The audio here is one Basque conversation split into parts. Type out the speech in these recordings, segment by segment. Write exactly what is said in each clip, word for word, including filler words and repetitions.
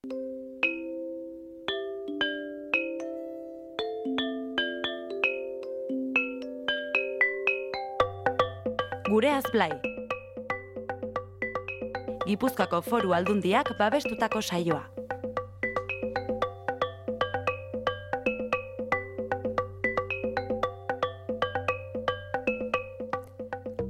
Gureaz Blai. Gipuzkoako Foru Aldundiak babestutako saioa.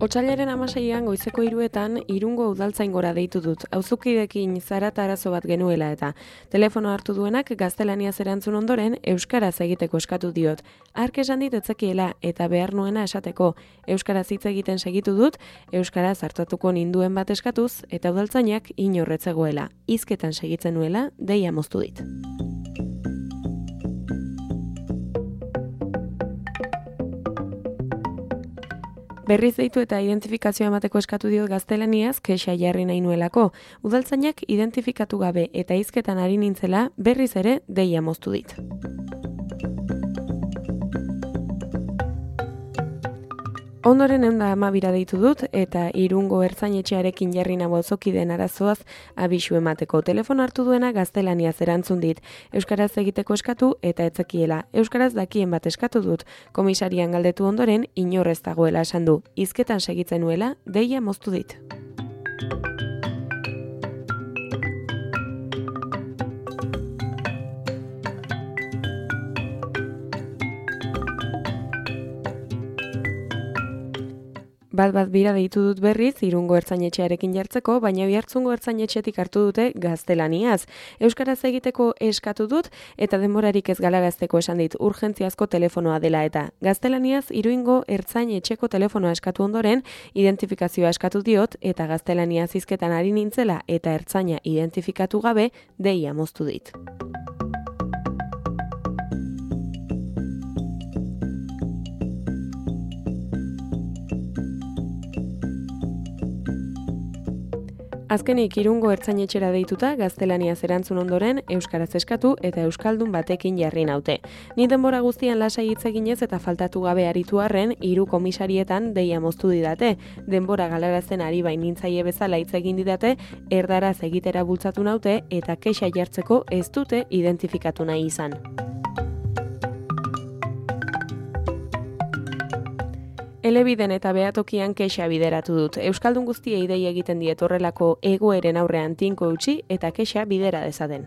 Otsailaren hamaseian goizeko hiruetan Irungo udaltzaingora deitu dut. Auzukidekin zarata arazo bat genuela eta telefono hartu duenak gaztelaniaz erantzun ondoren euskaraz egiteko eskatu diot. Hark esan dit etzekiela eta behar nuena esateko. Euskaraz hitz egiten segitu dut, euskaraz hartatuko ninduen bat eskatuz eta udaltzainak inorretzegoela. Hizketan segitzen nuela deia moztu dit. Berriz deitu eta identifikazioa emateko eskatu diot gaztelaniaz kexa jarri nahi nuelako. Udaltzainak identifikatu gabe eta hizketan ari nintzela berriz ere deia moztu dit. Ondoren ehun eta hamabira deitu dut eta Irungo ertzainetxearekin jarri nago auzokideen arazoaz abisu emateko. Telefono hartu duena gaztelaniaz erantzun dit. Euskaraz egiteko eskatu eta etzekiela. Euskaraz dakien bat eskatu dut. Komisarian galdetu ondoren inor ez dagoela esan du. Hizketan segitzen nuela deia moztu dit. Bat bat bira deitu dut berriz Irungo ertzainetxearekin jartzeko, baina Oiartzungo ertzainetxetik hartu dute gaztelaniaz. Euskaraz egiteko eskatu dut eta denborarik ez galarazteko esan dit urgentziazko telefonoa dela eta gaztelaniaz Irungo ertzainetxeko telefonoa eskatu ondoren identifikazioa eskatu diot eta gaztelaniaz hizketan ari nintzela eta ertzaina identifikatu gabe deia moztu dit. Azkenik Irungo ertzainetxera deituta gaztelaniaz erantzun ondoren euskaraz eskatu eta euskaldun batekin jarri naute. Ni denbora guztian lasai hitz eginez eta faltatu gabe aritu arren hiru komisarietan deia moztu didate. Denbora galarazten ari bain nintzaile bezala hitz egin didate, erdaraz egitera bultzatu naute eta kexa jartzeko ez dute identifikatu nahi izan. Elebiden eta behatokian kexa bideratu dut. Euskaldun guztiei dei egiten diet horrelako egoeren aurrean tinko utzi eta kexa bidera dezaten.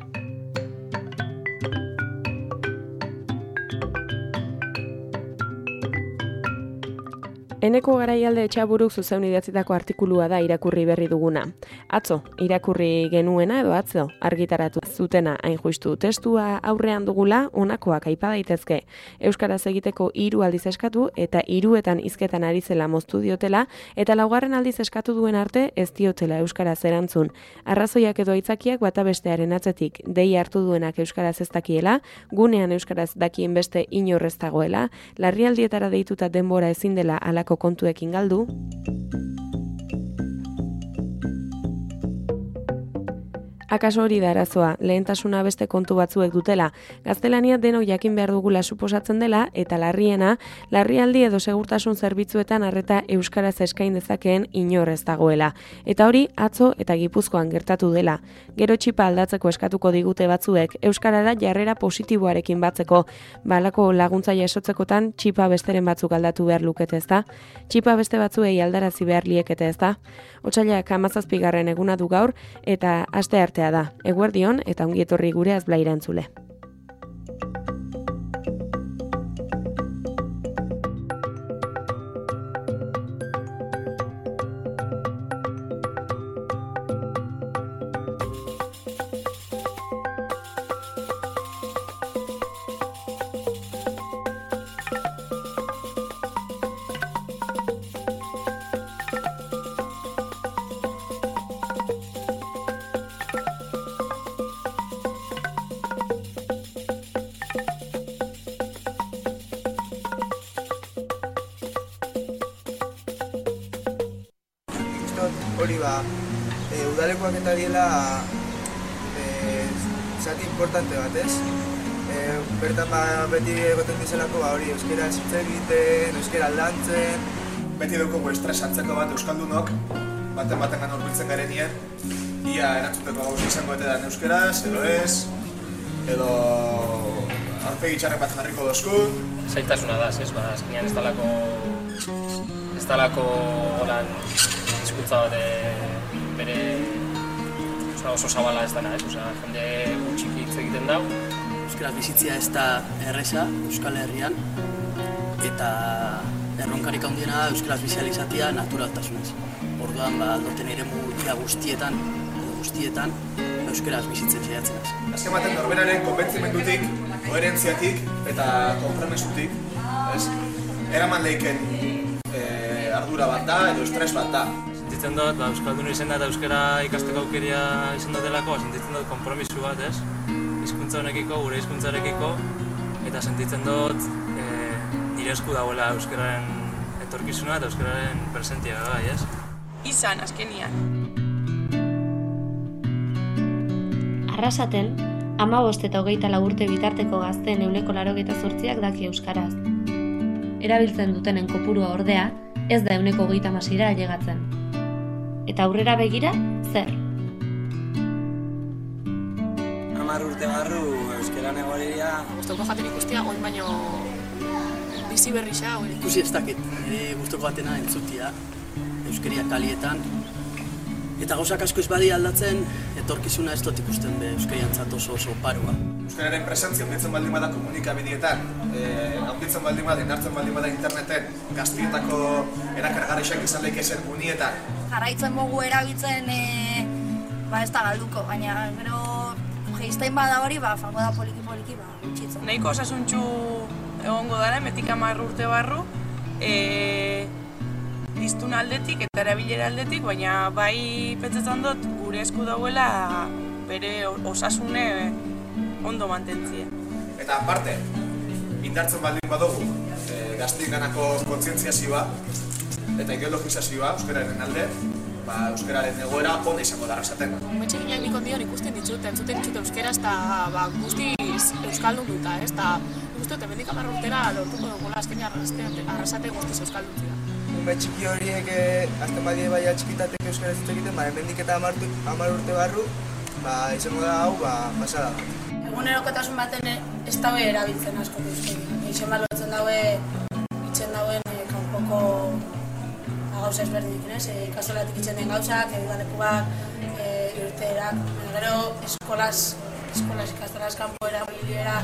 Eneko Garaialde Etxaburuk zuzeun idatzitako artikulua da irakurri berri duguna. Atzo, irakurri genuena edo atzo, argitaratu zutena hain justu. Testua aurrean dugula honakoak aipa daitezke. Euskaraz egiteko hiru aldiz eskatu eta hiruetan hizketan ari zela moztu diotela eta laugarren aldiz eskatu duen arte ez diotela euskaraz erantzun. Arrazoiak edo aitzakiak bata bestearen atzetik. Dei hartu duenak euskaraz ez dakiela, gunean euskaraz dakien beste inor ez dagoela, larrialdietara deituta denbora ezin dela alako kontuekin galdu. Akaso hori da arazoa, lehentasuna beste kontu batzuek dutela. Gaztelania denok jakin behar dugula suposatzen dela eta larriena, larrialdi edo segurtasun zerbitzuetan arreta euskaraz eskain dezakeen inor ez dagoela. Eta hori atzo eta Gipuzkoan gertatu dela. Gero txipa aldatzeko eskatuko digute batzuek, euskarara jarrera positiboarekin batzeko. Balako laguntza jasotzekotan txipa besteren batzuk aldatu behar lukete ezta. Txipa beste batzuei aldarazi behar liekete ezta. Otsailak hamazazpigarren eguna du gaur eta aste arte da. Eguerdion eta ongi etorri Gureaz Blai entzule. Hori ba, e, udalekoak eta diela e, zati importante bat, ez? E, bertan ba, beti egoten dizelako ba, hori euskera hitz egiten, euskera lantzen. Beti dugu estres hartzeko bat euskaldunok, baten baten gan urbiltzen garenien, ia erantzuteko gauza izango etedan euskeraz, edo ez, edo aurpegi txarren bat jarriko dozku. Zailtasuna da, ez, ba, azkenean ez dalako, ez dalako holan hizkuntza bat bere oso zabala ez dana, ez, osea, jende gutxik hitz egiten dau. Euskaraz bizitzia ez da erreza Euskal Herrian, eta erronkarik handiena da euskaraz bizializatia naturaltasunez. Orduan, ba, aldoten eremu guztietan, guztietan, euskaraz bizitzen saiatzen az. Azken baten norberaren konbentzimendutik, koherentziatik eta konpromesutik, ez? Eraman leiken e, ardura bat da edo estres bat da. Sentitzen dut, ba, euskaldun izan da eta euskara ikasteko aukeria izan dutelako, sentitzen dut konpromisu bat, ez? Hizkuntza honekiko, gure hizkuntzarekiko, eta sentitzen dut e, nire esku dagoela euskararen etorkizuna eta euskararen presentia bai, ez? Izan, azkenian. Arrasaten, hamabost eta hogeita lau urte bitarteko gazteen ehuneko laurogeita zortziak daki euskaraz. Erabiltzen dutenen kopurua ordea, ez da ehuneko hogeita hamaseira ailegatzen. Eta aurrera begira, zer? Hamar urte barru euskaran egoria. Gustoko jaten ikustia, oin baino bizi berrisa. Ikusi ez dakit, nire gustoko jatena entzutia, euskeria kalietan. Eta gauzak asko ez badi aldatzen, etorkizuna ez dut ikusten be euskariantzat oso oso paroa. Euskararen presentzia handitzen baldin bada komunikabidietan, eh, handitzen baldin bada, indartzen baldin bada interneten, gaztietako erakargarriak izan leikezen unietan. Jarraitzen mogu erabiltzen, e, ba ez da galduko, baina gero geiztain bada hori, ba, fango da poliki-poliki, ba, gutxitzen. Nahiko osasuntxu egongo dara, metik hamar urte barru, e, diztun aldetik eta erabilera aldetik, baina bai pentsatzen dut gure esku dauela bere osasune ondo mantentzia. Eta aparte, indartzen baldin badugu, e, gaztik ganako kontzientziazioa eta ideologizazioa euskararen alde, ba, euskararen egoera ona izango da arrasaten. Metxe ginean nik ondion ikusten ditut, entzuten ditut euskaraz eta ba, guztiz euskaldun duta, ez? Eta ikusten dut, emendik hamar urtera lortuko dugula azkenean arrasate guztiz euskalduntzea. Ume txiki horiek azten badie baina txikitatek euskaraz hitz egiten, ba, hemendik eta hamar urte barru, ba, izango da hau, ba, pasada bat. Egunerokotasun baten ez daue erabiltzen asko euskara. Eixen balotzen daue, itzen dauen kanpoko gauza ezberdinekin, ez? Ikastolatik itzen den gauzak, edalekuak, irteerak, gero eskolaz, eskolaz ikastolaz kanpo erabiliera,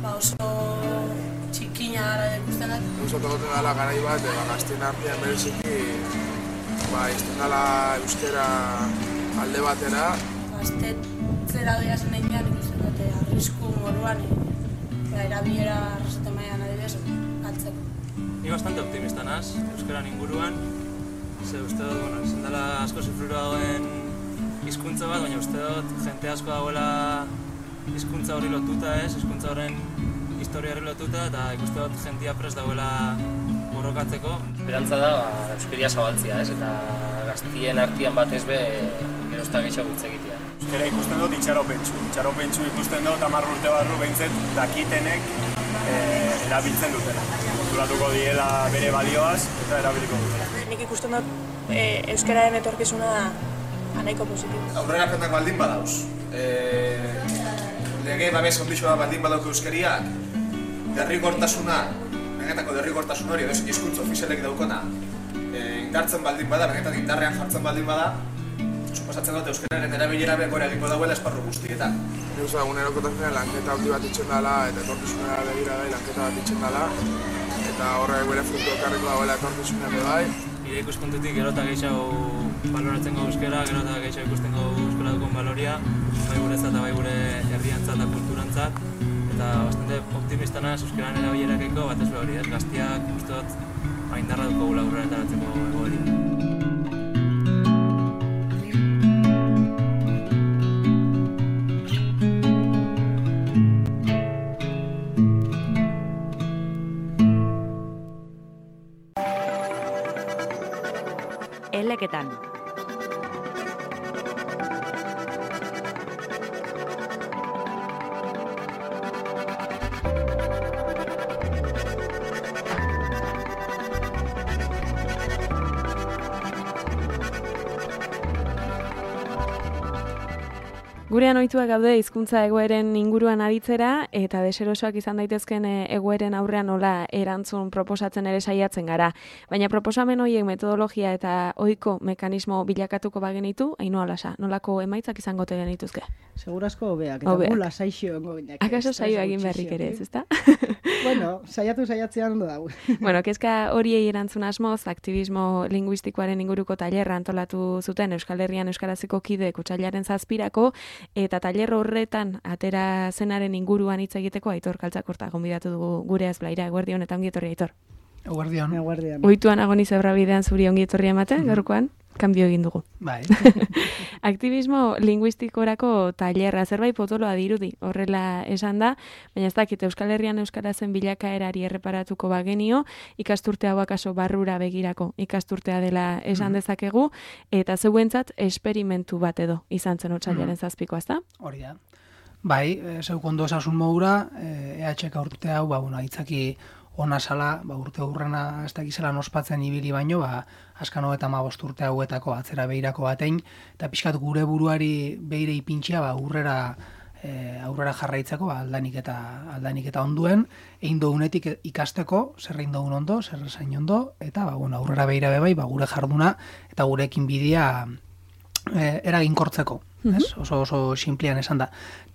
ba, oso txikina gara ikusten dut. Guztatu goten dela garai bat, eta gaztien artean bereziki, ba, izten dela euskera alde batera. Gaztetzera doia zen egin ikusten dute, arrisku moruan, eta erabilera arrasaten maian adibidez, galtzeko. Ni bastante optimista naz, euskaran inguruan. Ze uste dut, bueno, izan dela asko zifrura dagoen hizkuntza bat, baina uste dut jente asko dagoela hizkuntza hori lotuta, ez? Hizkuntza horren historia hori lotuta, eta ikuste dut jentia prest dagoela borrokatzeko. Esperantza da, ba, euskeria zabaltzia, ez? Eta gaztien artean batez be, gerozta gehiago hitz egitea. Euskera ikusten dut itxaropentsu. Itxaropentsu ikusten dut hamar urte barru behintzet dakitenek e, erabiltzen dutela. Konturatuko diela bere balioaz eta erabiliko dutela. Nik ikusten dut e, euskararen etorkizuna nahiko positibo. Aurrerapenak baldin badauz. E, lege babes ondixoa baldin badauko euskariak, derrigortasuna, benetako derrigortasun hori, edo hizkuntza ofizialek daukona, e, indartzen baldin bada, benetan indarrean jartzen baldin bada, suposatzen dut euskararen erabilera begora egingo dauela esparru guztietan. Nik uste egunerokotasunean lanketa handi bat itxen dela eta etorkizunera begira bai lanketa bat itxen dela eta horrek bere frutu ekarriko dagoela etorkizunean bai. Nire ikuspuntutik gero eta gehiago baloratzen gau euskara, gero eta gehiago ikusten gau euskara dukon baloria, bai guretzat eta bai gure herriantzat eta kulturantzat, eta bastante optimista naz euskararen erabilerakeko bat ez hori, ez gaztiak uste dut indarra duko gula aurrera etaratzeko egoeri. Eleketan. Gurean ohituak gaude hizkuntza egoeren inguruan aditzera eta deserosoak izan daitezken egoeren aurrean nola erantzun proposatzen ere saiatzen gara. Baina proposamen horiek metodologia eta ohiko mekanismo bilakatuko bagenitu, Ainhoa Lasa, nolako emaitzak izango te genituzke? Segurazko hobeak, eta gu lasaixo ongo ginak. Akaso saio egin berrik ere ez, ezta? Bueno, saiatu saiatzean ondo dago. Bueno, kezka horiei erantzun asmoz, aktivismo linguistikoaren inguruko tailerra antolatu zuten Euskal Herrian euskarazeko kideek otsailaren zazpirako, eta tailer horretan atera zenaren inguruan hitz egiteko Aitor Kaltzakorta gonbidatu dugu gure azblaira. Eguerdion eta ongi etorri, Aitor. Eguerdion. Eguerdion. Ohituan agoni zebra bidean zuri ongi etorri ematen, mm. gaurkoan, kanbio egin dugu. Bai. Aktivismo linguistikorako tailerra zerbait potoloa dirudi, horrela esan da, baina ez dakit Euskal Herrian euskarazen bilakaerari erreparatuko bagenio, ikasturte hau akaso barrura begirako ikasturtea dela esan dezakegu, eta zeuentzat esperimentu bat edo izan zen otsailaren zazpikoa, ezta? Hori da. Bai, zeuk ondo esasun modura, E H K urte hau, ba, bueno, aitzaki ona sala, ba, urte hurrena ez dakizela nospatzen ibili baino, ba, askano eta hamabost urte hauetako atzera behirako batein, eta pixkat gure buruari behire ipintxia, ba, aurrera, e, aurrera jarraitzeko, ba, aldanik eta aldanik eta onduen, egin dounetik ikasteko, zer egin dogun ondo, zer esain ondo, eta ba, bueno, aurrera behira bebai, ba, gure jarduna, eta gurekin bidea e, eraginkortzeko. Ez? Oso oso sinplian esan da.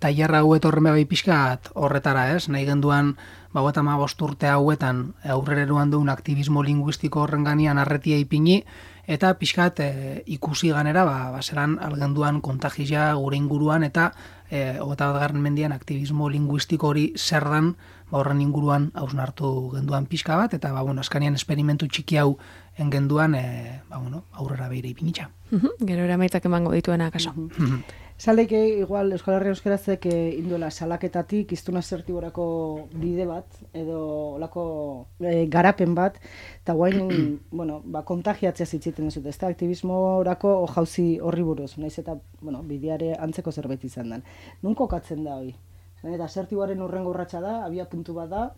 Tailerra hau etorren bai pixkat horretara, ez? Nahi genduan, ba, eta hamabost urte hauetan aurrereruan duen aktivismo linguistiko horren ganean arretia ipini, eta pixkat e, ikusi ganera, ba, baseran algenduan kontagizia gure inguruan, eta e, hogeta bat garren mendian aktivismo linguistiko hori zer dan, ba, horren inguruan hausnartu genduan pixka bat, eta ba, bueno, askanian esperimentu txiki hau engenduan e, ba, bueno, aurrera behire ipinitza. Gero eramaitzak emango dituena akaso. Zaleike, igual, Euskal Herria Euskarazek induela salaketatik iztuna zertiborako bide bat, edo olako e, garapen bat, eta guain, bueno, ba, kontagiatzea zitziten ez dut, ez da, aktivismorako jauzi horri buruz, naiz eta, bueno, bideare antzeko zerbait izan den. Nun kokatzen da hori? Eta zertiboaren urrengo urratsa da, abia puntu bat da.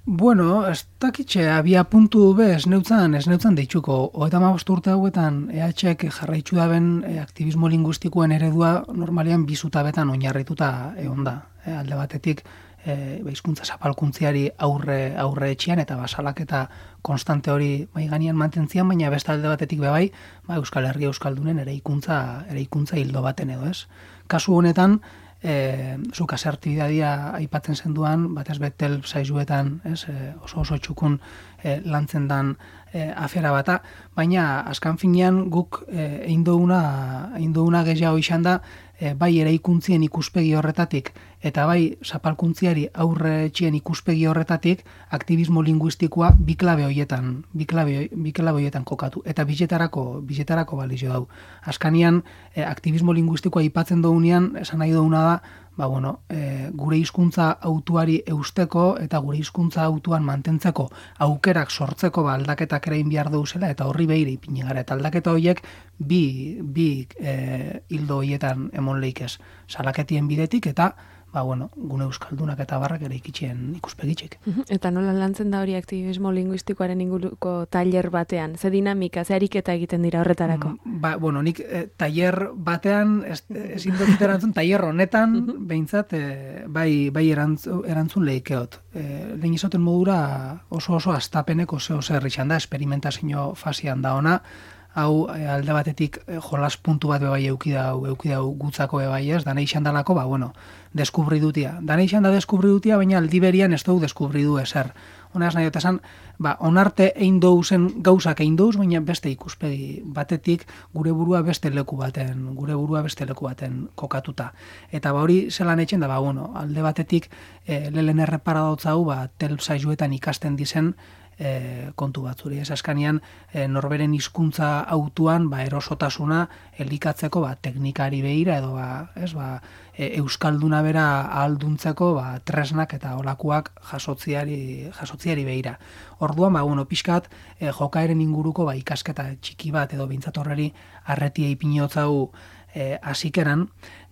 Bueno, ez dakitxe, abia puntu be, ez neutzan, ez neutzan deitzuko. Hogeita hamabost urte hauetan E H K jarraitzu daben e, aktivismo linguistikoen eredua normalean bizutabetan oinarrituta egon da. E, alde batetik, e, hizkuntza zapalkuntziari aurre aurre etxean eta basalak eta konstante hori mai gainean mantentzian, baina beste alde batetik bebai, ba, Euskal Herria Euskaldunen eraikuntza eraikuntza hildo baten edo, ez? Kasu honetan, E, zuk asertibidadia aipatzen zenduan, batez betel zaizuetan, ez, e, oso oso txukun e, lantzen dan e, afera bata, baina askan finean guk e, egin duguna egin duguna gehiago izan da, e, bai eraikuntzien ikuspegi horretatik, eta bai zapalkuntziari aurre etxien ikuspegi horretatik, aktivismo linguistikoa bi klabe hoietan, bi klabe, bi klabe hoietan kokatu, eta biletarako, biletarako balizio dau. Askanian, e, aktivismo linguistikoa aipatzen dugunean, esan nahi duguna da, ba, bueno, e, gure hizkuntza autuari eusteko eta gure hizkuntza autuan mantentzeko aukerak sortzeko ba, aldaketak ere behar duzela, eta horri behire ipini gara. Eta aldaketa horiek bi, bi e, hildo horietan emon leikez. Salaketien bidetik eta ba, bueno, gune euskaldunak eta barrak ere ikitxien ikuspegitxik. Eta nola lantzen da hori aktivismo linguistikoaren inguruko tailer batean? Ze dinamika, ze ariketa egiten dira horretarako? Ba, bueno, nik e, tailer batean, ezin dut erantzun, tailer honetan, behintzat, e, bai, bai erantzun, erantzun lehikeot. E, lehen izaten modura oso oso astapeneko zeo zer izan da, experimentazio fasian da ona, hau alde batetik jolas puntu bat bebai eukidau, eukidau gutzako bebai ez, dana izan dalako, ba, bueno, deskubri dutia. Dana izan da deskubri dutia, baina aldi berian ez dugu deskubri du ezer. Honaz nahi esan, ba, onarte egin douzen gauzak egin douz, baina beste ikuspegi batetik gure burua beste leku baten, gure burua beste leku baten kokatuta. Eta ba hori zelan etxen da, ba, bueno, alde batetik e, lehen errepara dautzau, ba, tel zaizuetan ikasten dizen, E, kontu batzuri. Ez askanian e, norberen hizkuntza autuan ba, erosotasuna elikatzeko ba, teknikari behira edo ba, ez, ba, e, euskalduna bera ahalduntzeko ba, tresnak eta olakuak jasotziari, jasotziari behira. Orduan, ba, bueno, pixkat e, jokaeren inguruko ba, ikasketa txiki bat edo bintzatorreri arretia ipinotzau e, asikeran,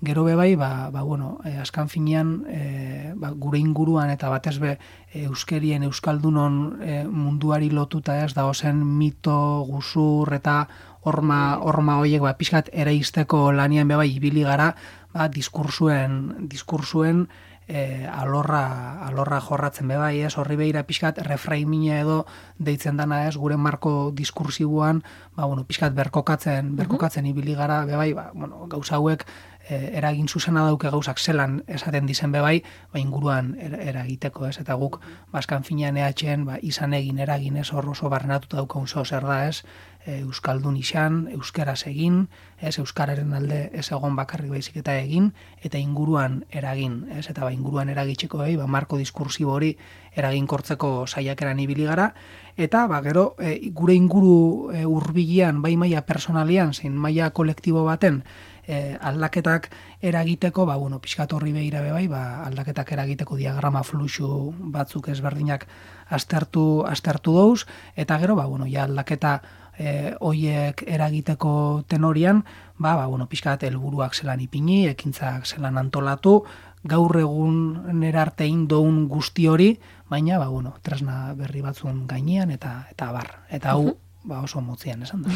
gero bebai, ba, ba, bueno, e, askan finean e, ba, gure inguruan eta batez be e, euskerien, euskaldunon e, munduari lotuta ez, da ozen mito, guzur eta horma, horma horiek ba, pixkat eraisteko lanian bebai ibili gara, ba, diskursuen, diskursuen e, alorra, alorra jorratzen bebai, ez, horri behira pixkat refraimina edo deitzen dana ez, gure marko diskursiboan, ba, bueno, pixkat berkokatzen, berkokatzen ibili gara bebai, ba, bueno, gauza hauek e, eragin zuzena dauke gauzak zelan esaten dizen bebai, ba, inguruan er, eragiteko, ez, eta guk, baskan finean ehatxen, ba, izan egin eragin ez, hor oso barrenatuta daukaun zo zer da ez, euskaldun izan, euskeraz egin, ez, euskararen alde ez egon bakarrik baizik eta egin, eta inguruan eragin, ez, eta ba, inguruan eragitzeko behi, ba, marko diskursibo hori eraginkortzeko saiakeran ibili gara, eta ba, gero e, gure inguru e, hurbilean, bai maila personalian, zein maila kolektibo baten, E, aldaketak eragiteko, ba, bueno, pixkat horri behira bebai, ba, aldaketak eragiteko diagrama fluxu batzuk ezberdinak aztertu, aztertu dauz, eta gero, ba, bueno, ja aldaketa e, oiek eragiteko tenorian, ba, ba, bueno, pixkat helburuak zelan ipini, ekintzak zelan antolatu, gaur egun nerartein doun guzti hori, baina, ba, bueno, tresna berri batzun gainean, eta eta bar, eta hau, ba, oso motzian, esan da.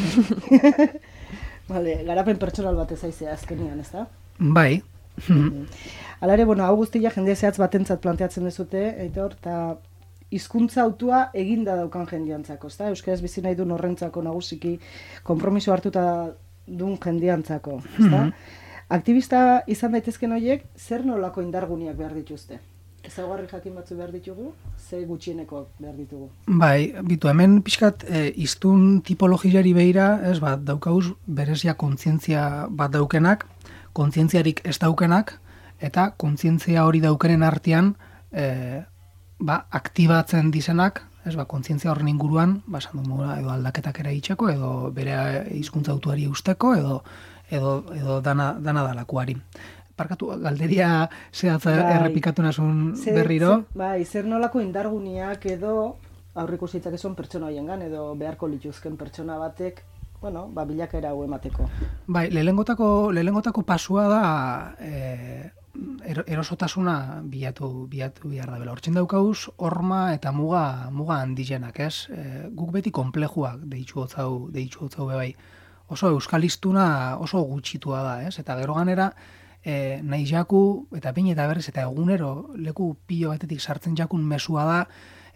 Vale, garapen pertsonal bat ezaizea azkenian, ez da? Bai. Hala ere, bueno, hau guztia jende zehatz batentzat planteatzen dezute, Aitor, eta hizkuntza autua eginda daukan jendiantzako, ez da? Euskaraz bizi nahi duen horrentzako nagusiki konpromiso hartuta duen jendiantzako, ez da? Aktivista izan daitezken horiek, zer nolako indarguniak behar dituzte? Ezaugarri jakin batzu behar ditugu, ze gutxieneko behar ditugu. Bai, bitu, hemen pixkat e, iztun tipologiari behira, ez bat, daukauz berezia kontzientzia bat daukenak, kontzientziarik ez daukenak, eta kontzientzia hori daukenen artean, e, ba, aktibatzen dizenak, ez ba, kontzientzia horren inguruan, ba, esan du mola, edo aldaketak eraitzeko, edo bere hizkuntza autuari usteko, edo, edo, edo dana, dana dalakuari. Parkatu, galderia zehatza errepikatu nasun berriro. Bai, zer nolako indarguniak edo aurriko zitzak eson pertsona hoiengan edo beharko lituzken pertsona batek, bueno, ba, bilakaera hau emateko. Bai, lehengotako, lehengotako pasua da e, erosotasuna bilatu, bilatu behar da bela. Hortzen daukauz, horma eta muga, muga handizenak, ez? E, guk beti konplejuak deitxu hotzau, deitxu hotzau bebai. Oso euskalistuna oso gutxitua da, ez? Eta gero ganera, E, nahi jaku, eta bain eta berriz, eta egunero leku pilo batetik sartzen jakun mesua da,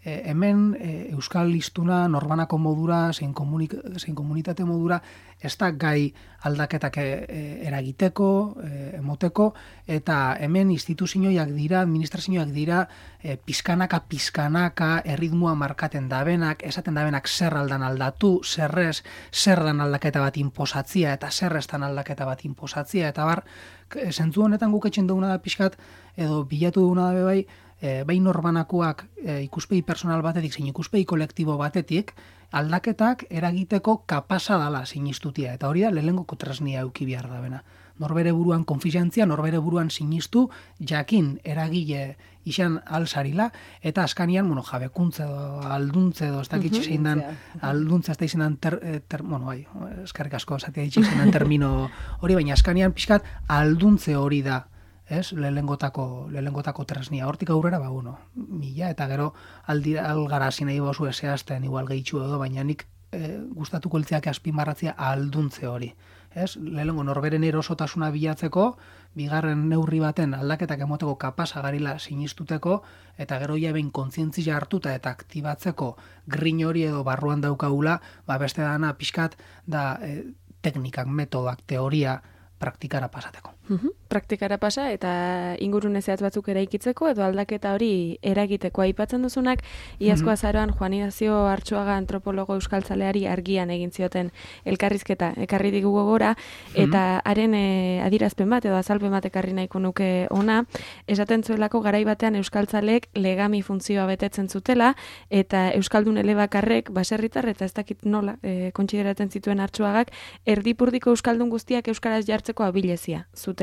e, hemen e, euskal listuna norbanako modura, zein, komunik, zein komunitate modura, ez da gai aldaketak e, e, eragiteko, e, emoteko, eta hemen instituzioak dira, administrazioak dira, e, pizkanaka, pizkanaka, erritmua markaten dabenak, esaten dabenak zer aldan aldatu, zerrez, zer dan aldaketa bat inposatzia, eta zerreztan aldaketa bat inposatzia, eta bar, zentzu honetan guk etxen duguna da pixkat, edo bilatu duguna da bebai, e, behin norbanakoak e, ikuspegi personal batetik, zein ikuspegi kolektibo batetik, aldaketak eragiteko kapasa dala sinistutia. Eta hori da, lehenengoko tresnia euki behar da bena. Norbere buruan konfiantzia, norbere buruan sinistu, jakin eragile izan alzarila, eta askanian, bueno, jabekuntze edo alduntze edo, ez dakit zein dan, alduntze ez da izan ter, ter, bueno, bai, eskarrik asko, zatea ditxe izan termino hori, baina askanian pixkat alduntze hori da, ez, lehengotako, lehengotako tresnia. Hortik aurrera, ba, bueno, mila, eta gero aldira, algara zinei bozu eseazten, igual gehitxu edo, baina nik e, gustatuko eltzeak azpimarratzea alduntze hori. Ez, lehenengo norberen erosotasuna bilatzeko, bigarren neurri baten aldaketak emoteko kapasa garila sinistuteko, eta gero ja behin kontzientzia hartuta eta aktibatzeko grin hori edo barruan daukagula, ba beste dana pixkat da e, teknikak, metodak, teoria praktikara pasateko. Uhum. Praktikara pasa eta ingurune zehatz batzuk eraikitzeko edo aldaketa hori eragiteko aipatzen duzunak, iazko azaroan Juan Ignacio Artxuaga antropologo euskaltzaleari argian egin zioten elkarrizketa ekarri digu gogora, eta haren e, adirazpen bat edo azalpen bat ekarri nahiko nuke ona, esaten zuelako garai batean euskaltzaleek legami funtzioa betetzen zutela, eta euskaldun elebakarrek baserritar eta ez dakit nola e, kontsideratzen zituen Artxuagak, erdipurdiko euskaldun guztiak euskaraz jartzeko abilezia zutela.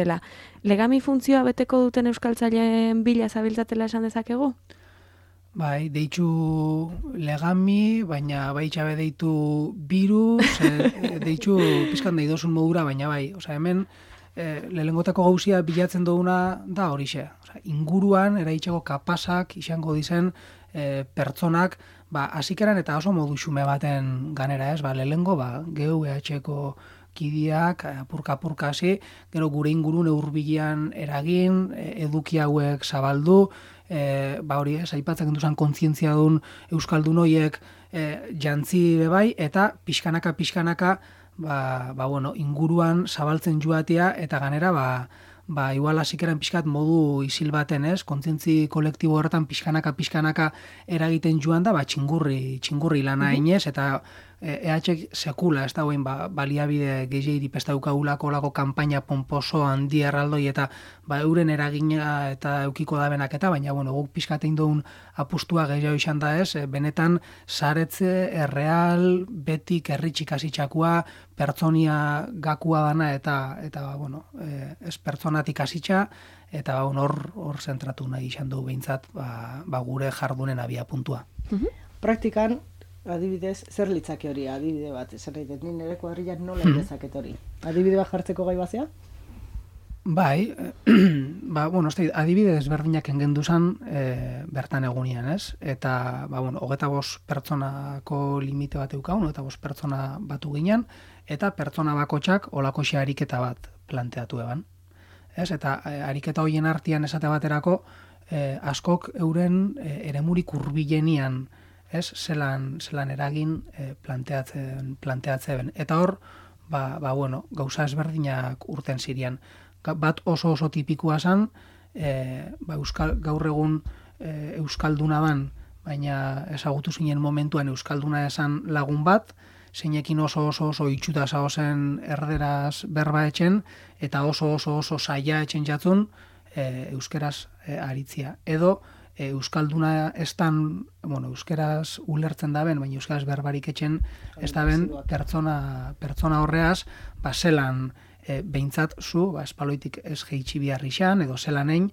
Legami funtzioa beteko duten euskaltzaileen bila zabiltzatela esan dezakegu? Bai, deitzu legami, baina bai txabe deitu virus, e, deitzu pizkan deidozun modura, baina bai, osea, hemen e, lehengotako gauzia bilatzen duguna da horixe. Osea, inguruan eraitzeko kapasak izango dizen e, pertsonak ba, hasikeran eta oso modu xume baten ganera, ez, ba, lehengo, ba, geu E H Eko kidiak, apurka-apurka hasi, gero gure ingurune hurbilean eragin, eduki hauek zabaldu, e, ba hori ez, aipatzen duzan kontzientzia duen euskaldun horiek e, jantzi bebai, eta pixkanaka-pixkanaka, ba, ba, bueno, inguruan zabaltzen joatea, eta ganera, ba, ba, igual hasikeran pixkat modu isil baten, ez? Kontzientzi kolektibo horretan pixkanaka-pixkanaka eragiten joan da, ba, txingurri, txingurri lana inez, eta E H sekula, ez da guen, ba, baliabide gehiagiri pestaukagulako lako kanpaina pomposo handi erraldoi eta ba, euren eragina eta eukiko da benak eta, baina bueno, guk pixkatein duen apustua gehiago izan da ez, benetan saretze, erreal, betik, erritxik asitxakua, pertsonia gakua dana eta, eta bueno, ez pertsonatik asitxa, eta hor hor zentratu nahi izan du behintzat ba, ba gure jardunen abia puntua. Praktikan, adibidez, zer litzake hori, adibide bat, zer nahi dut, nire kuadrilak nola hmm. dezaket hori? Adibide bat jartzeko gai bazea? Bai, ba, bueno, ez adibide desberdinak engenduzan e, bertan egunian, ez? Eta, ba, bueno, hogeta bost pertsonako limite bat eukaun, hogeta bost pertsona batu ginen, eta pertsona bakotxak olakoxe ariketa bat planteatu eban. Ez? Eta e, ariketa horien artean esate baterako, e, askok euren e, eremurik hurbilenian, ez, zelan, zelan eragin e, planteatzen, planteatzen. Eta hor, ba, ba, bueno, gauza ezberdinak urten zirian. Bat oso oso tipikoa zen, e, ba, Euskal, gaur egun e, Euskalduna ban, baina ezagutu zinen momentuan Euskalduna esan lagun bat, zeinekin oso oso oso itxuta zaozen erderaz berba etxen, eta oso oso oso saia etxen jatzun e, euskeraz e, aritzia. Edo, Euskalduna estan, bueno, euskeraz ulertzen daben, baina euskeraz berbarik etxen, ez daben pertsona, pertsona horreaz, ba, zelan e, behintzat zu, ba, espaloitik ez geitsi biharri xan, edo zelan egin,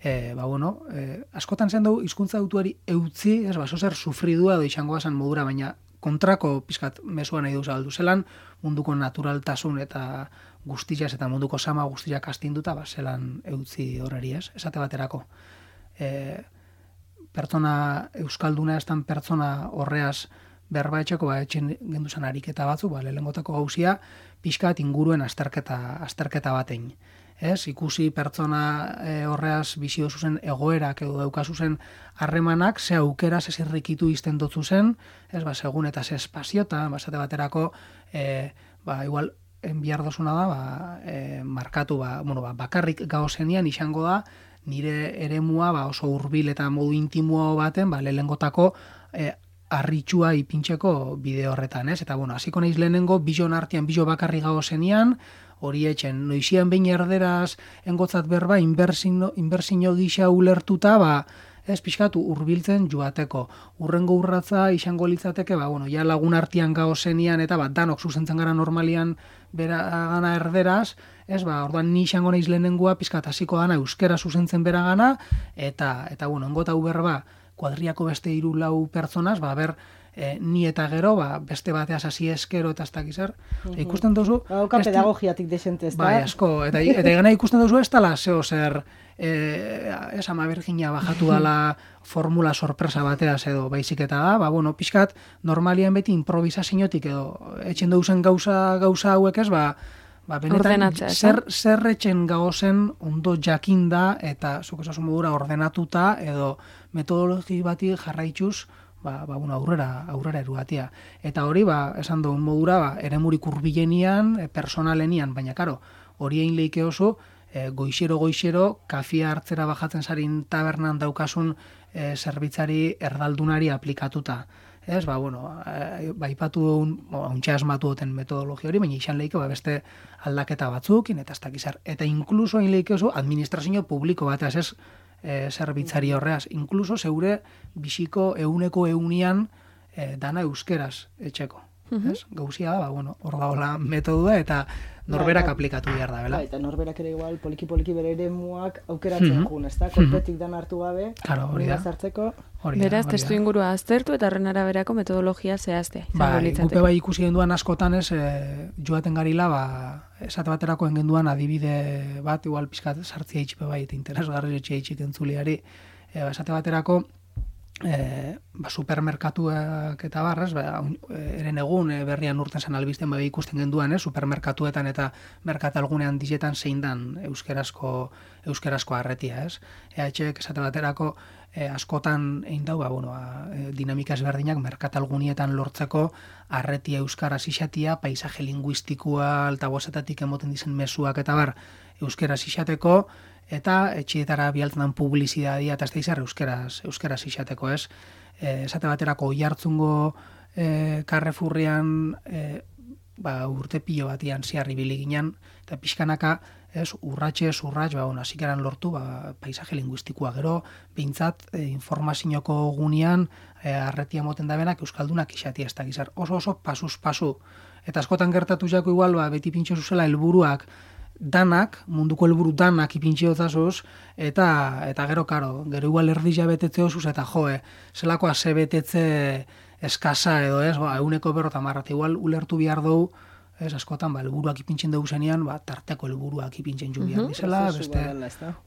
e, ba, bueno, e, askotan zen dugu, hizkuntza autuari eutzi, ez, ba, zozer sufridua edo izango bazan modura, baina kontrako pizkat mesua nahi duza aldu zelan, munduko naturaltasun eta guztiaz, eta munduko sama guztiak astinduta, ba, zelan eutzi horreri, ez, esate baterako. E, pertsona euskalduna estan pertsona horreaz berba etxeko, ba, etxen genduzan ariketa batzu, ba, lehengotako gauzia, pixkat inguruen azterketa, azterketa batein. Ez, ikusi pertsona e, horreaz bizio zuzen egoerak edo daukazu zen harremanak, ze aukera, ze zirrikitu izten dotzu zen, ez, ba, segun eta ze espaziota, basate baterako, e, ba, igual, enbiar dozuna da, ba, e, markatu, ba, bueno, ba, bakarrik gauzenian izango da, nire eremua ba, oso hurbil eta modu intimoa baten, ba, lehengotako e, arritxua ipintxeko bide horretan, ez? Eta, bueno, hasiko naiz lehenengo, bijon artean, bijo bakarri gago zenian, hori etxen, noizian behin erderaz, engotzat berba, inbersino, inbersino gisa ulertuta, ba, ez pixkatu hurbiltzen joateko. Urrengo urratza izango litzateke, ba, bueno, ja lagun artean gago zenian, eta ba, danok zuzentzen gara normalian bera gana erderaz, ez, ba, orduan ni izango naiz lehenengoa, pixkat hasiko dana euskera zuzentzen bera gana, eta, eta bueno, engota hu berba, kuadriako beste hiru lau pertsonaz, ba, ber, e, ni eta gero, ba, beste bateaz hasi eskero eta ez dakizar. Uh -huh. Ikusten duzu... Hauka pedagogiatik desente ez da. Bai, asko. Eta, eta gana ikusten duzu ez dala zeo zer, e, ez ama Virginia bajatu dala formula sorpresa bateaz edo baizik eta da, ba, bueno, pixkat, normalian beti improvisaziotik edo etxen duzen gauza, gauza hauek ez, ba, ba, benetan, zer, zer etxen gaozen ondo jakinda eta zuk esasun modura ordenatuta edo metodologi bati jarraituz ba, ba, bueno, aurrera, aurrera erugatia. Eta hori, ba, esan duen modura, ba, eremurik hurbilenian, e, personalenian, baina, karo, hori egin leike oso, e, goixero-goixero, kafia hartzera bajatzen zarin tabernan daukasun e, zerbitzari erdaldunari aplikatuta. Ez, ba, bueno, e, ba, ipatu duen, hauntxe asmatu duten metodologia hori, baina izan leike, ba, beste aldaketa batzukin, eta ez dakizar. Eta inkluso egin leike oso, administrazio publiko bateaz, ez, E, zerbitzari horreaz, inkluso zeure bisiko euneko eunian e, dana euskeraz etxeko. Uh-huh. Gauzia da, ba, bueno, hor daola metodua eta norberak ba, aplikatu behar da, bela? Ba, eta norberak ere igual, poliki-poliki bere ere muak aukeratzen uh-huh. jun, ez da? Kolpetik dan hartu gabe, claro, hori da. Zartzeko. Beraz, testu ingurua aztertu eta horren araberako metodologia zehazte. Ba, gupe bai ikusi genduan askotan ez, e, joaten garila, ba, esate baterako engenduan adibide bat, igual pizkat sartzia itxipe bai, eta interesgarri etxe itxik entzuliari, e, esate baterako, E, ba, supermerkatuak eta barrez, ba, eren egun e, berrian urten zen albizten ba, ikusten genduan, eh, supermerkatuetan eta merkatalgunean dizetan zein dan euskerazko, euskerazko arretia, ez? E H ek esate baterako e, askotan egin dau, ba, bueno, ba, e, dinamika ezberdinak merkatalgunietan lortzeko arretia euskaraz isatia, paisaje linguistikoa, altabozetatik emoten dizen mezuak eta bar, euskaraz isateko, eta etxietara bialtzen dan publizidadia eta ez da izar euskeraz, euskeraz isateko, ez? E, esate baterako oihartzungo e, Carrefourrean e, ba, urte pilo batian ziarri biliginen, eta pixkanaka, ez, urratxe, urratx, ba, ona, zikeran lortu, ba, paisaje linguistikoa gero, behintzat, e, informazioko gunean, e, arretia moten da benak, euskaldunak isatia ez da gizar, oso oso pasuz pasu. Eta askotan gertatu jako igual, ba, beti pintxo zuzela helburuak, danak, munduko helburu danak ipintxeotzazuz, eta eta gero, karo, gero igual erdila betetze osuz, eta joe, zelakoa ze betetze eskasa edo ez, ba, euneko berrota marrat, igual ulertu bihar dugu, ez, askotan, ba, helburuak ipintzen dugu zenean, ba, tarteko helburuak ipintzen ju bihar dizela, beste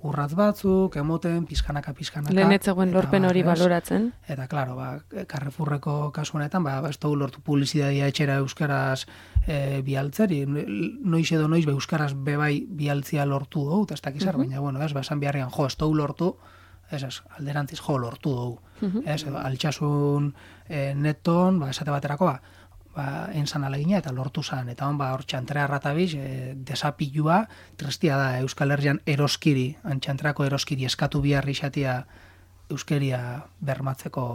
urratz batzuk, emoten, pizkanaka, pizkanaka. Lehen etzegoen lorpen hori baloratzen. Eta, klaro, ba, Carrefourreko kasu honetan, ba, ez dugu lortu publizidadia etxera euskaraz e, bialtzeri, noiz edo noiz, be, euskaraz bebai bialtzia lortu dugu, eta ez dakizar, uh -huh. baina, bueno, ez, ba, esan beharrian, jo, ez dugu lortu, ez, ez, alderantziz, jo, lortu dugu. Uh -huh. Ez, edo, altxasun e, neton, ba, esate baterako, ba, ba, entzan alegina eta lortu zan. Eta hon, ba, hor txantrea ratabiz, e, desapilua, trestia da Euskal Herrian eroskiri, antxantreako eroskiri eskatu biharri xatia euskeria bermatzeko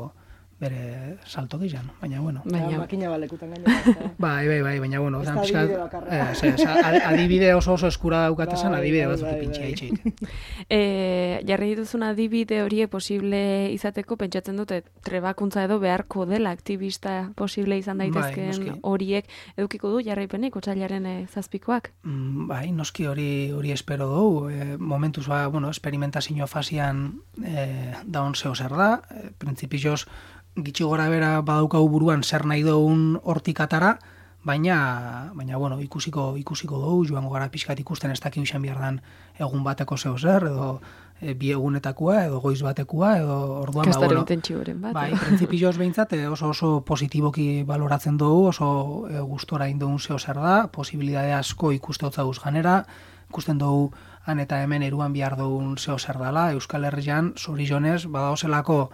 bere salto gizan, baina, bueno. Baina, makina balekutan gainera. Bai, bai, bai, baina, bueno. Ez da adibide bakarra. Ez, ez, adibide oso oso eskura daukatezan, adibide batzuk ipintxe haitxik. E, jarri dituzun adibide horie posible izateko, pentsatzen dute, trebakuntza edo beharko dela aktibista posible izan daitezkeen horiek edukiko du jarraipenik, otsailaren e, zazpikoak? Mm, bai, noski hori hori espero dugu. E, momentuz, ba, bueno, experimentazio fasian e, daun zeo zer da, e, printzipioz gitxi gora bera badaukagu buruan zer nahi dugun hortik atara, baina, baina bueno, ikusiko ikusiko dugu, joango gara pixkat ikusten ez dakik izan behar dan egun bateko zeo zer, edo e, bi egunetakua, edo goiz batekua, edo orduan, ba, bueno, bat, bai, printzipioz behintzat oso oso positiboki baloratzen dugu, oso e, gustora indugun zeo zer da, posibilidade asko ikusteotzauz ganera, ikusten dugu han eta hemen eruan behar dugun zeo zer dala, Euskal Herrian, zorizonez, badaozelako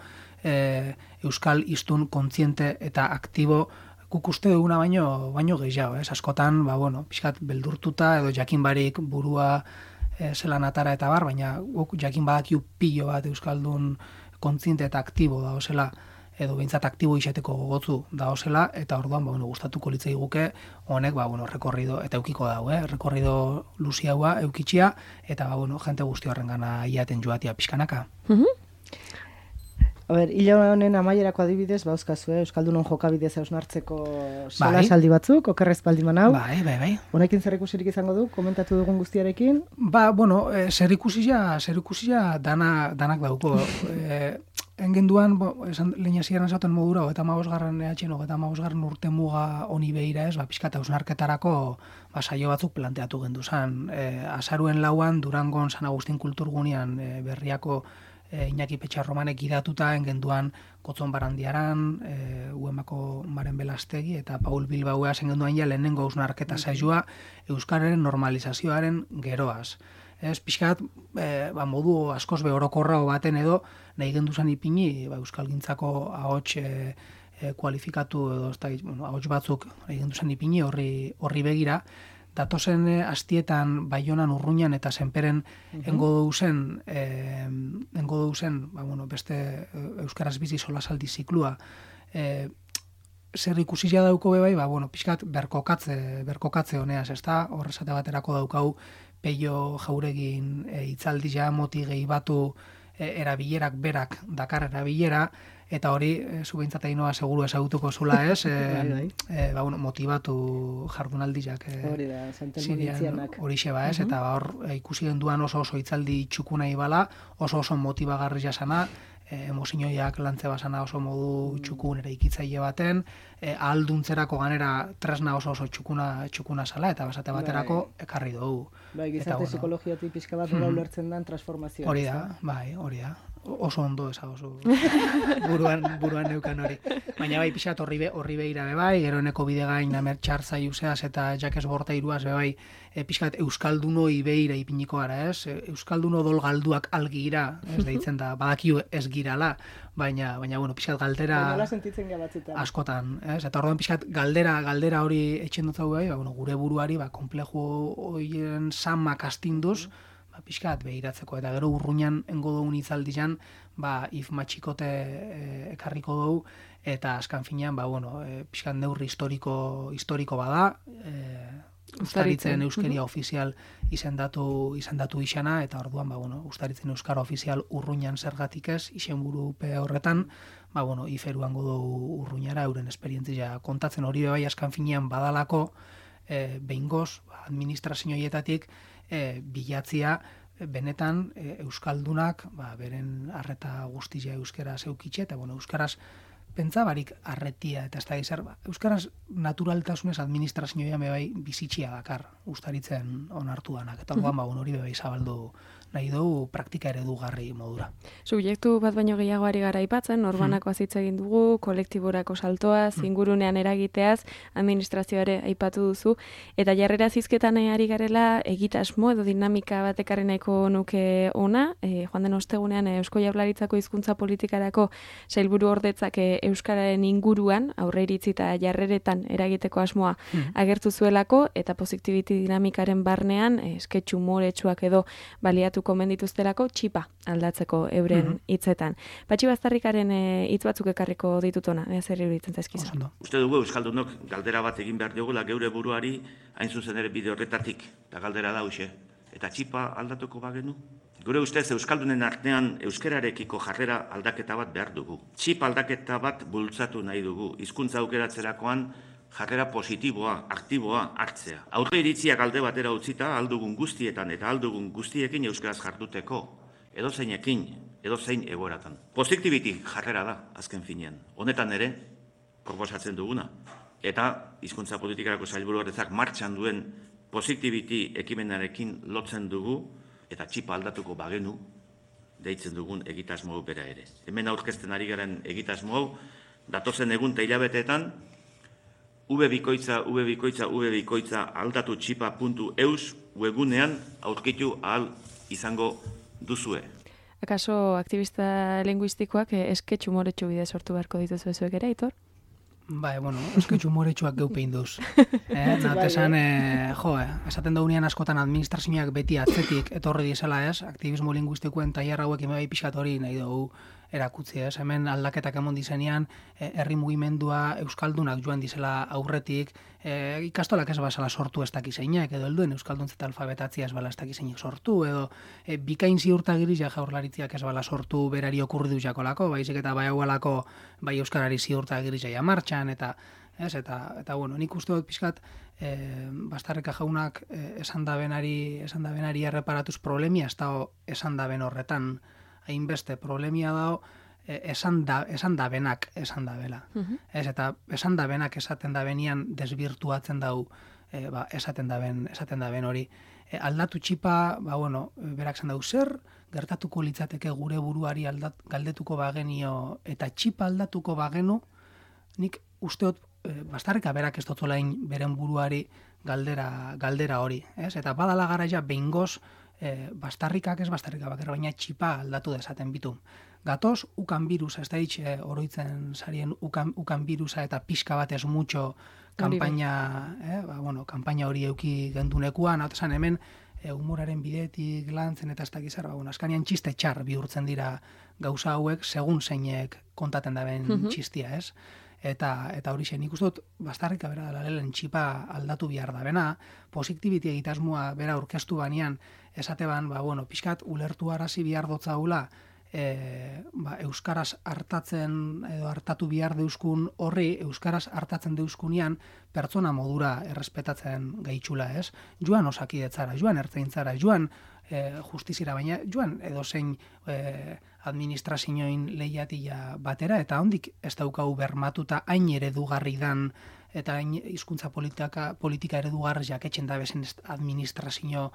E, euskal hiztun kontziente eta aktibo guk uste duguna baino, baino gehiago, ez? Askotan, ba, bueno, pixkat beldurtuta edo jakin barik burua e, zelan atara eta bar, baina guk jakin badakiu pilo bat euskaldun kontziente eta aktibo daozela, edo behintzat aktibo izateko gogotzu daozela, eta orduan, ba, bueno, gustatuko litzai guke, honek, ba, bueno, rekorrido, eta eukiko dau, eh? Rekorrido luziaua, eukitxia, eta, ba, bueno, jente guzti horren gana iaten joatia pixkanaka. Mhm. A ber, hile honen amaierako adibidez, ba, euskazue, Euskaldunon jokabidez hausnartzeko sola saldi batzuk, okerrez baldiman hau. Bai, bai, bai. Honekin zer ikusirik izango du, komentatu dugun guztiarekin? Ba, bueno, e, zer ikusia, zer ikusia dana, danak dauko. e, engenduan, bo, esan lehena ziren esaten modura, eta magosgarren ehatxen, eta magosgarren urte muga honi behira ez, ba, pixkat hausnarketarako ba, saio batzuk planteatu gendu zan. E, azaruen lauan, Durangon San Agustin kulturgunean e, berriako E, Iñaki Petxarromanek idatuta engenduan Kotzon Barandiaran, e, Uemako Maren Belastegi eta Paul Bilbaua zengenduan ja lehenengo hausnarketa saioa euskararen normalizazioaren geroaz. Ez, pixkat, e, ba, modu askoz be orokorra baten edo nahi genduzan ipini ba, euskalgintzako ahots e, e, kualifikatu edo ez da, bueno, ahots batzuk nahi genduzan ipini horri, horri begira. Datozen astietan Baionan, Urruñan eta Senperen uh-huh. engo duzen, eh, engo duzen, ba, bueno, beste euskaraz bizi solasaldi ziklua. Eh, zer ikusia dauko bebai, ba, bueno, pixkat berkokatze, berkokatze honeaz, ez da? Horrezate baterako daukau Peio Jauregin e, itzaldi ja moti gehi batu e, erabilerak berak dakar erabilera, eta hori, e, zu behintzat ainoa seguru ezagutuko zula ez, e, e, ba, bueno, motibatu jardunaldiak e, hori da, santelmonitzianak. Hori xeba ez, uh-huh. eta hor e, ikusi genduan oso oso itzaldi txukuna ibala, oso oso motibagarri jasana, e, emozioiak lantze basana oso modu txukun ere ikitzaile baten, e, ahalduntzerako ganera tresna oso oso txukuna txukuna sala, eta basate baterako ekarri dugu. Bai, gizarte bueno, psikologiatik pixka bat nola ulertzen dan transformazioa. Hori da, bai, hori da. oso ondo eza oso buruan, buruan neukan hori. Baina bai, pixat horri, be, horri behira be bai, gero eneko bidegain amer txartza iuseaz eta jakes borta iruaz be bai, e, pixat Euskalduno ibeira ipiniko gara, ez? Euskalduno dol galduak algira, ez deitzen da, badakiu ez girala, baina, baina bueno, pixat galdera askotan, ez? Eta orduan pixat galdera, galdera hori etxen dut bai, ba, bueno, gure buruari, ba, komplejo horien samak astinduz, ba, pixkat behiratzeko, eta gero urruñan engo dugun itzaldizan, ba, if matxikote e, ekarriko dugu, eta askan finean, ba, bueno, e, pixkat neurri historiko, historiko bada, e, Ustaritzen euskeria uh-huh. ofizial izendatu, izendatu isana, eta orduan, ba, bueno, Ustaritzen euskara ofizial urruñan zergatik ez, izenburupe horretan, ba, bueno, iferuango dugu urruñara, euren esperientzia kontatzen hori bai askan finean badalako, e, behingoz, administrazioietatik, e, bilatzia, e, benetan e, euskaldunak, ba, beren arreta guztia euskara zeukitxe, eta bueno, euskaraz pentsabarik arretia eta ez da gizar, ba, euskaraz naturaltasunez administrazioa bai bizitxia dakar Ustaritzen onartu danak, eta orduan ba, hori bai zabaldu nahi dugu praktika eredugarri modura. Subjektu bat baino gehiago ari gara aipatzen, norbanako hitz egin dugu, kolektiborako saltoaz, ingurunean eragiteaz, administrazioare aipatu duzu, eta jarrera zizketan ari garela egitasmo edo dinamika batekarri nahiko nuke ona, e, joan den ostegunean Eusko Jaurlaritzako hizkuntza politikarako sailburu ordetzak euskararen inguruan aurre iritzi eta jarreretan eragiteko asmoa mm. agertu zuelako, eta positivity dinamikaren barnean esketxu moretsuak edo baliatu komendituztelako txipa aldatzeko euren hitzetan. Mm-hmm. Patxi Baztarrikaren hitz e, batzuk ekarriko ditutona, ez zer iruditzen zaizkizu. Uste dugu euskaldunok galdera bat egin behar diogula geure buruari, hain zuzen ere bide horretatik, eta galdera da huxe. Eta txipa aldatuko bagenu? Gure ustez euskaldunen artean euskararekiko jarrera aldaketa bat behar dugu. Txipa aldaketa bat bultzatu nahi dugu, hizkuntza aukeratzerakoan jarrera positiboa, aktiboa hartzea. Aurre iritziak alde batera utzita aldugun guztietan eta aldugun guztiekin euskaraz jarduteko, edozeinekin, edozein egoeratan. Positivity jarrera da, azken finean. Honetan ere, proposatzen duguna. Eta hizkuntza politikarako sailburu horretzak martxan duen positivity ekimenarekin lotzen dugu, eta txipa aldatuko bagenu, deitzen dugun egitasmo bera ere. Hemen aurkezten ari garen egitasmo, datozen egun eta hilabeteetan, ubebikoitza, ubebikoitza, ubebikoitza aldatu txipa puntu eus webunean aurkitu ahal izango duzue. Akaso aktivista linguistikoak esketxu moretsu bide sortu beharko dituzu ezuek ere, Aitor? Bai, bueno, esketxu moretsuak geupein duz. Eh, Natesan, eh, jo, eh, esaten daunean askotan administrazioak beti atzetik etorri dizela ez, aktivismo linguistikoen tailer hauek bai pixkat hori nahi dugu erakutzi ez. Hemen aldaketak emon dizenean, herri eh, mugimendua euskaldunak joan dizela aurretik, eh, ikastolak ez basala sortu ez dakizeinak, edo helduen euskalduntza alfabetatzia ez bala ez dakizeinak sortu, edo eh, bikain ziurtagiriz ja Jaurlaritziak ez bala sortu berari okurri du jakolako, baizik eta bai haualako bai euskarari ziurtagiriz ja martxan, eta ez, eta, eta bueno, nik uste dut pixkat eh, Baztarrika jaunak eh, esan da benari, esan da benari erreparatuz problemia, ez da esan da ben horretan, hainbeste problemia dago, esan da, esan da benak esan da bela. Uh-huh. Ez, eta esan da benak esaten da benian desbirtuatzen dau e, ba, esaten da ben, esaten da ben hori. E, aldatu txipa, ba, bueno, berak zan dau zer, gertatuko litzateke gure buruari aldat, galdetuko bagenio eta txipa aldatuko bagenu, nik usteot e, Baztarrika berak ez dotzolain beren buruari galdera, galdera hori. Ez? Eta badala garaia behingoz, E, Baztarrikak ez Baztarrika bakar, baina txipa aldatu dezaten bitu. Gatoz, ukan birusa, ez da hitz e, oroitzen sarien ukan, ukan birusa eta pixka bat ez mutxo kampaina, eh, ba, bueno, kampaina hori euki gendunekuan, hau esan hemen e, humoraren bidetik lantzen eta ez da gizar, ba, bueno, askanian txiste txar bihurtzen dira gauza hauek, segun zeinek kontaten daben mm-hmm. txistia, ez? Eta eta hori zen, nik uste dut Baztarrika bera dela lehen txipa aldatu behar da bena, positivity egitasmoa bera aurkeztu banean, esate ban, ba, bueno, pixkat ulertu arazi behar dotzaula, e, ba, euskaraz hartatzen edo hartatu behar deuskun horri, euskaraz hartatzen deuskunean pertsona modura errespetatzen gaitxula, ez? Joan osakidetzara, joan ertzaintzara, joan e, justizira, baina joan edozein e, administrazioin lehiatia batera, eta hondik ez daukau bermatuta hain eredugarri dan eta hain hizkuntza politika, politika eredugarri jaketxen da bezen administrazio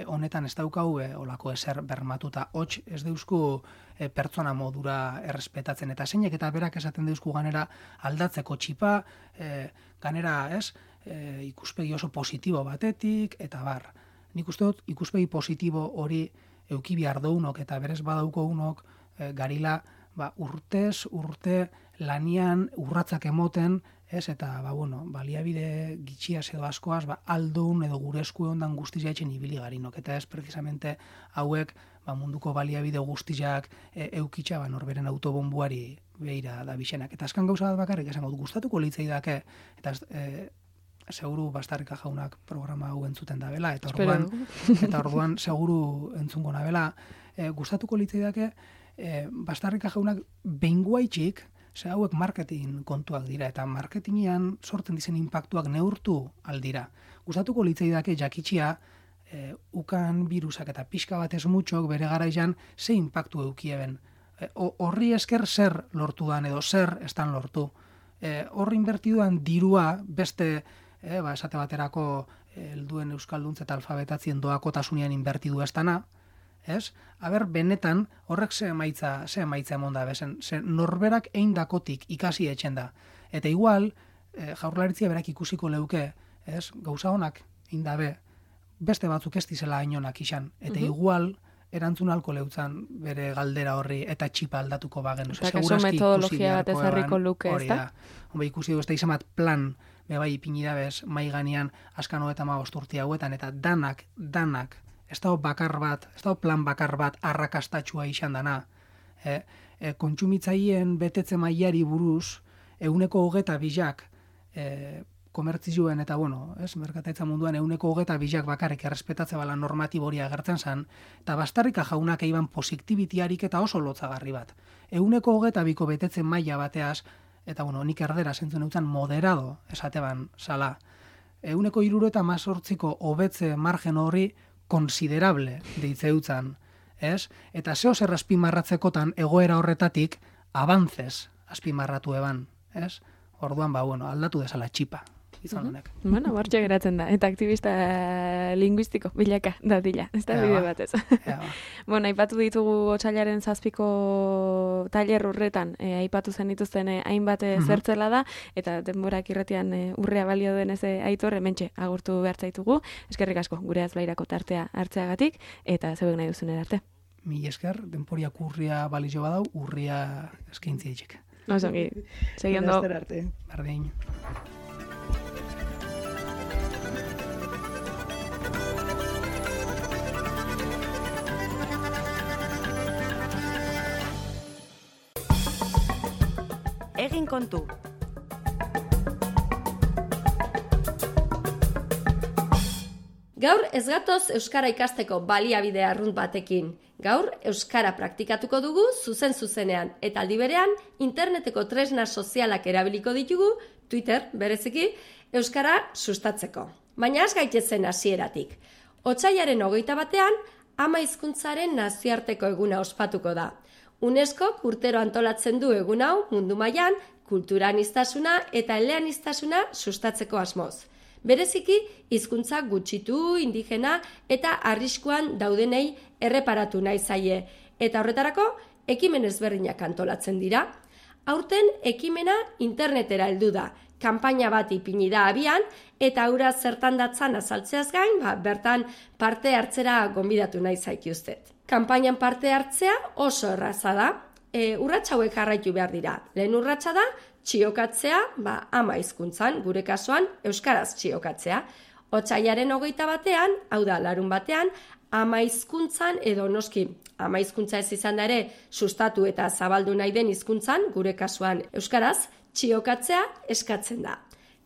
honetan ez daukau e, olako ezer bermatuta. Hots ez deuzku e, pertsona modura errespetatzen, eta zeinek eta berak esaten deuzku ganera aldatzeko txipa, e, ganera ez, e, ikuspegi oso positibo batetik, eta bar. Nik uste dut ikuspegi positibo hori euki behar dounok eta berez badauko unok e, garila ba, urtez, urte lanian urratzak emoten, ez, eta, ba, bueno, baliabide gitxiaz edo askoaz, ba, aldun edo gure esku ondan guztizia etxen ibili garinok, eta ez, precisamente, hauek, ba, munduko baliabide guztiak e, eukitxa, ba, norberen autobombuari behira da bisenak. Eta azkan gauza bat bakarrik, esan gaudu, gustatuko litzei dake, eta e, seguru Bastarrika jaunak programa hau entzuten da bela, eta orduan, eta orduan seguru entzungo nabela, e, gustatuko litzei dake, e, Bastarrika jaunak behinguaitxik, ze hauek marketing kontuak dira, eta marketingian sortzen dizen impactuak neurtu aldira. Gustatuko litzaidake jakitxia, e, ukan virusak eta pixka batez mutxok bere garaian ze impactu eukieben. E, horri esker zer lortu dan edo zer estan lortu. E, horri inbertiduan dirua beste, e, ba, esate baterako helduen euskalduntza eta alfabetatzien doakotasunean inbertidu estana, ez? Aber, benetan, horrek ze emaitza, ze emaitza emon da, bezen, ze norberak eindakotik ikasi etxen da. Eta igual, e, jaurlaritzia berak ikusiko leuke, ez? Gauza honak eindabe, beste batzuk ez dizela hainonak izan. Eta uh-huh. igual, erantzun alko leutzan bere galdera horri eta txipa aldatuko bagen. Eta kaso metodologia bat ezarriko luke, ez da? Hombre, ikusi du, ez da izan bat plan, bebai ipinidabez, mai ganean, askano eta magosturti hauetan, eta danak, danak, ez da bakar bat, ez da plan bakar bat arrakastatxua izan dana. E, e, kontsumitzaien betetze mailari buruz, euneko hogeta bizak e, komertzioen eta, bueno, ez, merkataitza munduan euneko hogeta bizak bakarrik errespetatze bala normatiboria agertzen zan, eta Bastarrika jaunak eiban posiktibitiarik eta oso lotzagarri bat. Euneko hogeta biko betetze maila bateaz, eta, bueno, nik erdera zentzen eutzen moderado esateban sala. Euneko iruro eta mazortziko hobetze margen horri konsiderable deitzeutzan, ez? Eta zeo zer azpimarratzekotan egoera horretatik abantzez azpimarratu eban, ez? Orduan, ba, bueno, aldatu desala txipa, izan honek. Uh-huh. Bueno, bortxe geratzen da, eta aktivista linguistiko bilaka da dila, ez da bide batez. Ba. Bueno, aipatu ditugu otsailaren zazpiko tailer urretan, e, aipatu zen dituzten e, hainbat uh-huh. zertzela da, eta denborak irratian e, urrea balio denez e, aitor, hementxe agurtu behar zaitugu. Eskerrik asko, gure azlairako tartea hartzeagatik, eta zeuek nahi duzun arte. Mi esker, denporiak urria balizio badau, urria eskaintzia itxek. Osongi, segindo. Bardin. Egin kontu. Gaur ez gatoz euskara ikasteko baliabide arrunt batekin. Gaur euskara praktikatuko dugu zuzen zuzenean eta aldi berean interneteko tresna sozialak erabiliko ditugu, Twitter bereziki, euskara sustatzeko. Baina az gaitezen hasieratik. Otsailaren hogeita batean, ama hizkuntzaren nazioarteko eguna ospatuko da. UNESCO urtero antolatzen du egun hau mundu mailan kultura aniztasuna eta eleaniztasuna sustatzeko asmoz. Bereziki, hizkuntza gutxitu, indigena eta arriskuan daudenei erreparatu nahi zaie. Eta horretarako, ekimen ezberdinak antolatzen dira. Aurten, ekimena internetera heldu da. Kanpaina bat ipini da abian, eta aura zertan datzan azaltzeaz gain, ba, bertan parte hartzera gonbidatu nahi zaituztet. Kanpainan parte hartzea oso erraza da. E, urratsa hauek jarraitu behar dira. Lehen urratsa da, txiokatzea, ba, ama hizkuntzan, gure kasuan, euskaraz txiokatzea. Otsailaren hogeita batean, hau da, larun batean, ama hizkuntzan edo noski, ama hizkuntza ez izan da ere, sustatu eta zabaldu nahi den hizkuntzan, gure kasuan, euskaraz, txiokatzea eskatzen da.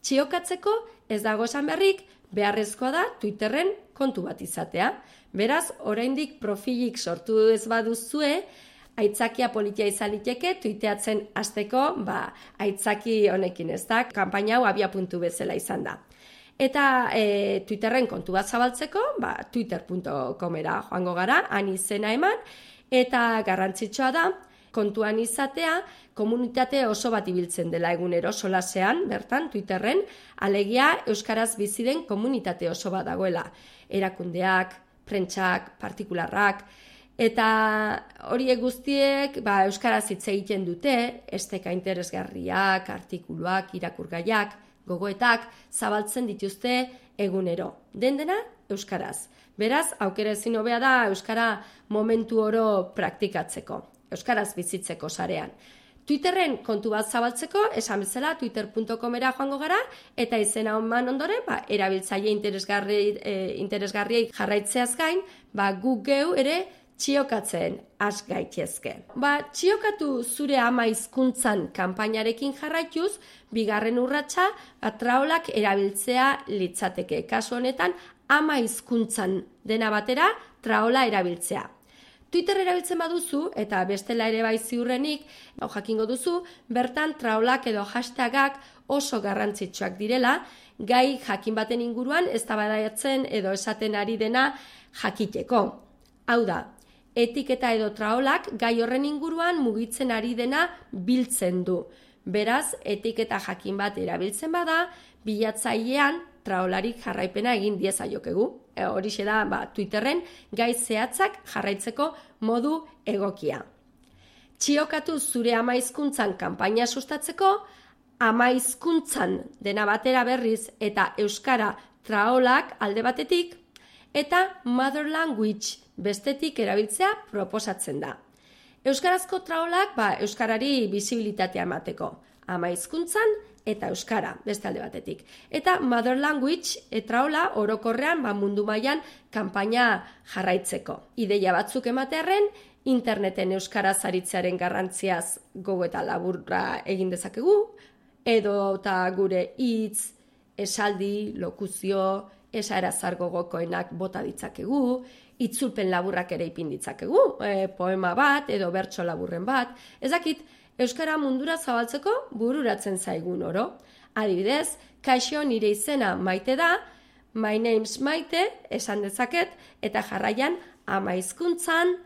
Txiokatzeko ez dago esan berrik, beharrezkoa da Twitterren kontu bat izatea. Beraz, oraindik profilik sortu ez baduzue, aitzakia politia izan liteke, tuiteatzen hasteko, ba, aitzaki honekin ez da, kanpaina hau abia puntu bezala izan da. Eta e, Twitterren kontu bat zabaltzeko, ba, twitter punto comera joango gara, han izena eman, eta garrantzitsua da, kontuan izatea, komunitate oso bat ibiltzen dela egunero solasean, bertan, Twitterren, alegia euskaraz bizi den komunitate oso bat dagoela. Erakundeak, prentsak, partikularrak, eta horiek guztiek ba, euskaraz hitz egiten dute, esteka interesgarriak, artikuluak, irakurgaiak, gogoetak, zabaltzen dituzte egunero. Den dena, euskaraz. Beraz, aukera ezin hobea da euskara momentu oro praktikatzeko, euskaraz bizitzeko sarean. Twitterren kontu bat zabaltzeko, esan bezala twitter punto comera joango gara, eta izena eman ondoren, ba, erabiltzaile interesgarri, e, interesgarriei jarraitzeaz gain, ba, guk geu ere txiokatzen has gaitezke. Ba, txiokatu zure ama hizkuntzan kanpainarekin jarraituz, bigarren urratsa ba, traolak erabiltzea litzateke. Kasu honetan, ama hizkuntzan dena batera traola erabiltzea. Twitter erabiltzen baduzu, eta bestela ere bai ziurrenik, ba, jakingo duzu, bertan traolak edo hashtagak oso garrantzitsuak direla, gai jakin baten inguruan eztabaidatzen edo esaten ari dena jakiteko. Hau da, etiketa edo traolak gai horren inguruan mugitzen ari dena biltzen du. Beraz, etiketa jakin bat erabiltzen bada, bilatzailean traolarik jarraipena egin diezaiokegu. E, horixe da ba, Twitterren gai zehatzak jarraitzeko modu egokia. Txiokatu zure ama hizkuntzan kanpaina sustatzeko, ama hizkuntzan dena batera berriz eta euskara traolak alde batetik, eta mother language bestetik erabiltzea proposatzen da. Euskarazko traolak ba, euskarari bisibilitatea emateko, ama hizkuntzan eta euskara beste alde batetik. Eta mother language e traola orokorrean ba, mundu mailan kanpaina jarraitzeko. Ideia batzuk ematearren, interneten euskaraz aritzearen garrantziaz gogo eta laburra egin dezakegu, edo eta gure hitz, esaldi, lokuzio, esara zargo gokoenak bota ditzakegu, itzulpen laburrak ere ipin ditzakegu, e, poema bat edo bertso laburren bat, ezakit, euskara mundura zabaltzeko bururatzen zaigun oro. Adibidez, kaixo nire izena Maite da, my name's Maite, esan dezaket, eta jarraian ama hizkuntzan,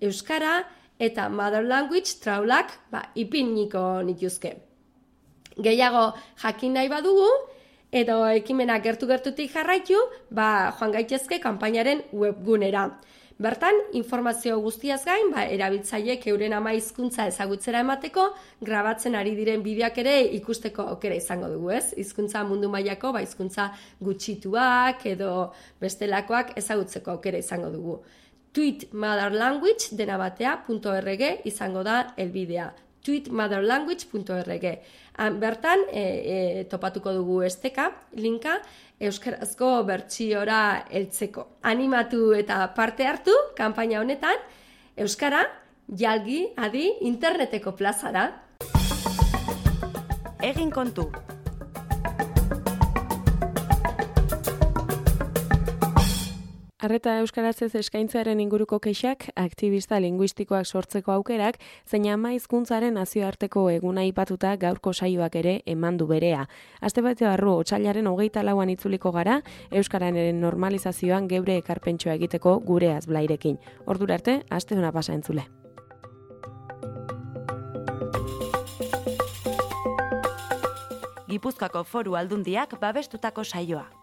euskara eta mother language traulak ba, ipiniko nituzke. Gehiago jakin nahi badugu, edo ekimena gertu-gertutik jarraitu, ba, joan gaitezke kanpainaren webgunera. Bertan, informazio guztiaz gain, ba, erabiltzaileek euren ama hizkuntza ezagutzera emateko, grabatzen ari diren bideoak ere ikusteko aukera izango dugu, ez? Hizkuntza mundu mailako, ba, hizkuntza gutxituak edo bestelakoak ezagutzeko aukera izango dugu. Tweet Mother Language dena batea punto org izango da helbidea. tweet mother language punto org. Bertan, e, e, topatuko dugu esteka, linka, euskarazko bertsiora heltzeko. Animatu eta parte hartu, kanpaina honetan, euskara, jalgi, adi, interneteko plazara. Egin kontu. Arreta euskarazez eskaintzearen inguruko kexak, aktibista linguistikoak sortzeko aukerak, zein ama hizkuntzaren nazioarteko eguna aipatuta gaurko saioak ere eman du berea. Aste bete barru, otsailaren hogeita lauan itzuliko gara, euskararen normalizazioan geure ekarpentsoa egiteko gure azblairekin. Ordura arte, aste duna pasa entzule. Gipuzkoako Foru Aldundiak babestutako saioa.